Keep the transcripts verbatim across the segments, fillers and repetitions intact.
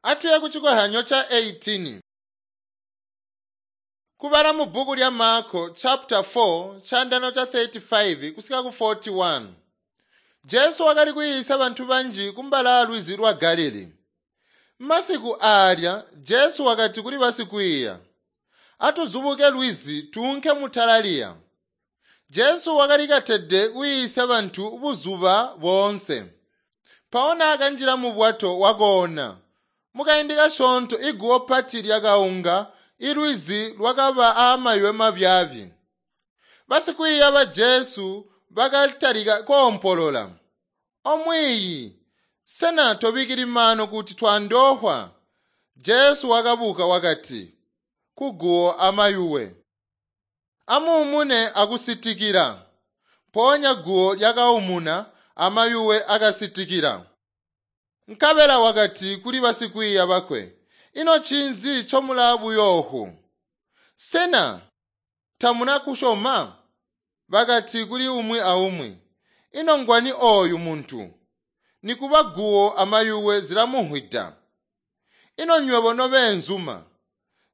Atuye ku chikohanyo cha eighteen. Kubala mu bhuku lya Marko chapter four chandano cha thirty-five kusika ku forty-one. Jesu wakali kuyisa bantu banji kumbala lwizi lwa Galili. Masiku alya Jesu wakati kuli basikwiiya, atuzubuke lwizi tuunke mutalaliya. Jesu wakali katede kuyisa bantu buzuba boonse. Mpawo akanjila mu bwato wakoona. Mukaindi kasyoonto iguwo pati lyakaunga, ilwizi lwakaba aamayuwe mabyaabi. Basikwiiya ba Jesu bakatalika koompolola, "Omwiiyi, sena tobikili mano kuti twandohwa?" Jesu wakabuka wakati kuguwo amayuwe, "Amuumune akusitikila." Mpoonya guwo lyakaumuna amayuwe akasitikila. Nkabela wakati kuli basikwiiya bakwe, "Ino ncinzi ncomulaa buyoohu? Sena tamuna kusyoma?" Bakati kuli umwi aumwi, "Ino ngwani ooyu muntu? Nikuba guwo amayuwe zilamuhwida." Ino nywebo nobeenzuma,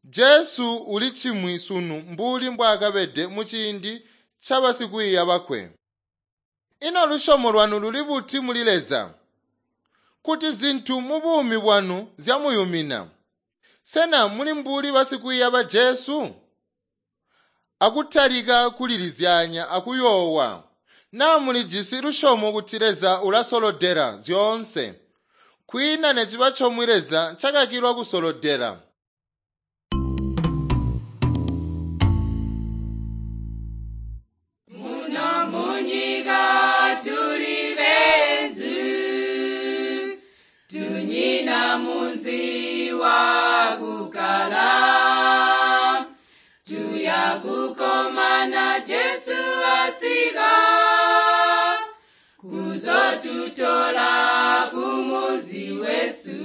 Jesu uli cimwi sunu mbuli mbwaakabede muciindi ca basikwiiya bakwe. Ino lusyomo lwanu luli buti muli Leza? Kuti zintu mubuumi bwanu zyamuyumina, sena muli mbuli basikwiiya ba Jesu? Akutalika kulilizyanya akuyoowa, naa mulijisi lusyomo kuti Leza ulasolodela zyoonse, kwiina neciba comwe Leza ncakakilwa kusolodela. Muno munyika tuli benzu, tunyina munzi wa kukala. Tuya kukomana Jesu asika, kuzotutola kumunzi wesu.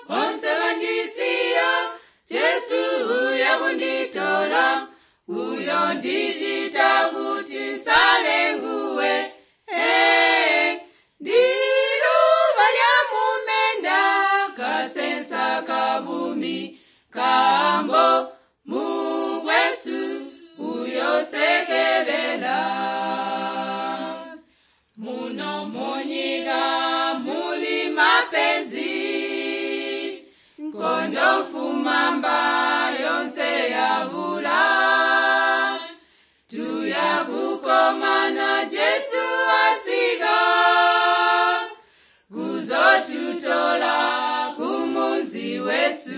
Bonse bandisiya, Jesu uya kunditola, uyo ndicita kuti nsale nguwe. Hey, ndiluba lya mumenda, kasensa kabumi, kambo mukwesu uyosekelela. Muno munyika muli mapenzi, nkondo mfumamba yonse yavula. Tuya kukomana Jesu asika, kuzotutola kumunzi wesu.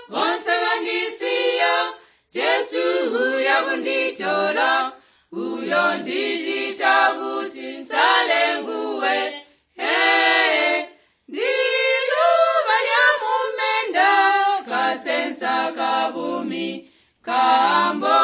Bonse bandisiya, Jesu uya kunditola, uyo ndicita kuti nsale nguwe. Hey, ndiluba lya mumenda, kasensa kabumi, kambo